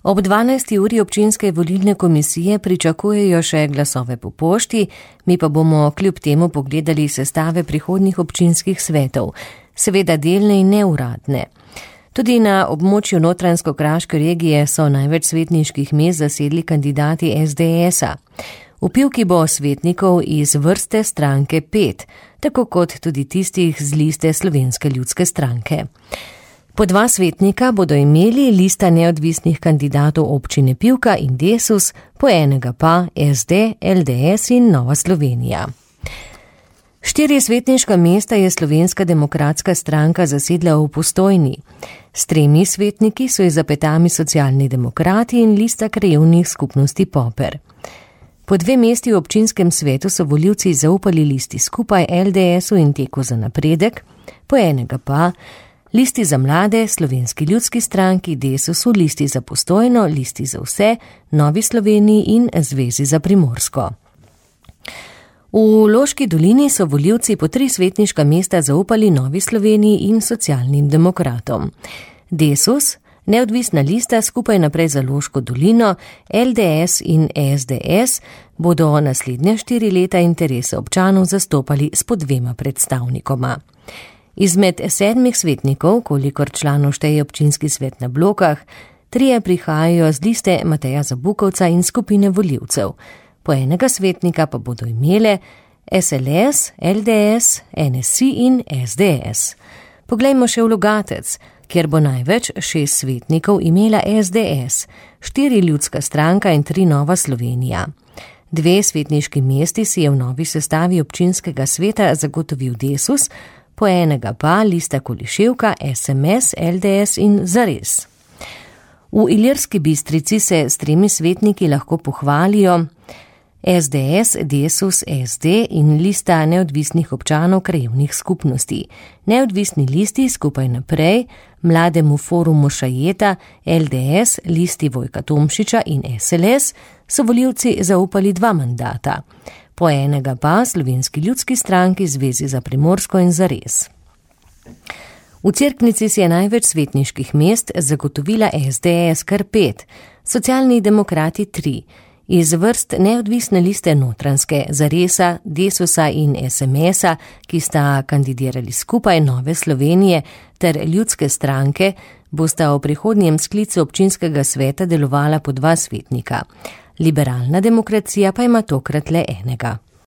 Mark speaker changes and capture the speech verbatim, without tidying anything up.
Speaker 1: Ob dvanajsti uri občinske volilne komisije pričakujejo še glasove po pošti, mi pa bomo kljub temu pogledali sestave prihodnjih občinskih svetov, seveda delne in neuradne. Tudi na območju Notranjsko-Kraške regije so največ svetniških mest zasedli kandidati es de esa. V Pivki bo svetnikov iz vrste stranke pet, tako kot tudi tistih z liste Slovenske ljudske stranke. Po dva svetnika bodo imeli lista neodvisnih kandidatov občine Pivka in Desus, po enega pa es de, el de es in Nova Slovenija. Štiri svetniška mesta je Slovenska demokratska stranka zasedla v Postojni. S tremi svetniki so ji za petami Socialni demokrati in lista krajevnih skupnosti Poper. Po dve mesti v občinskem svetu so volivci zaupali listi Skupaj, el de esu in Teku za napredek, po enega pa listi za mlade, Slovenski ljudski stranki, Desusu, listi za Postojno, listi za vse, Novi Sloveniji in Zvezi za Primorsko. V Loški dolini so volivci po tri svetniška mesta zaupali Novi Sloveniji in Socialnim demokratom. Desus, neodvisna lista Skupaj naprej za Loško dolino, el de es in es de es bodo naslednje štiri leta interese občanov zastopali s po dvema predstavnikoma. Izmed sedmih svetnikov, kolikor članov šteje občinski svet na Blokah, trije prihajajo z liste Mateja Zabukovca in skupine volivcev. Po enega svetnika pa bodo imele es el es, el de es, en es i in es de es. Poglejmo še v Logatec, kjer bo največ šest svetnikov imela es de es, štiri ljudska stranka in tri Nova Slovenija. Dve svetniški mesti si je v novi sestavi občinskega sveta zagotovil Desus, po enega pa lista Koliševka, es em es, el de es in Zares. V Ilirski Bistrici se s tremi svetniki lahko pohvalijo es de es, Desus, es de in lista neodvisnih občanov krajevnih skupnosti. Neodvisni listi Skupaj naprej, Mlademu forumu Šajeta, el de es, listi Vojka Tomšiča in es el es so volivci zaupali dva mandata. Po enega pa Slovenski ljudski stranki, Zvezi za Primorsko in Zares. V Cerknici si je največ svetniških mest zagotovila es de es kar pet, Socialni demokrati tri, iz vrst neodvisne liste Notranjske, Zaresa, Desusa in es em esa, ki sta kandidirali Skupaj, Nove Slovenije ter ljudske stranke, bosta v prihodnjem sklicu občinskega sveta delovala po dva svetnika. Liberalna demokracija pa ima tokrat le enega.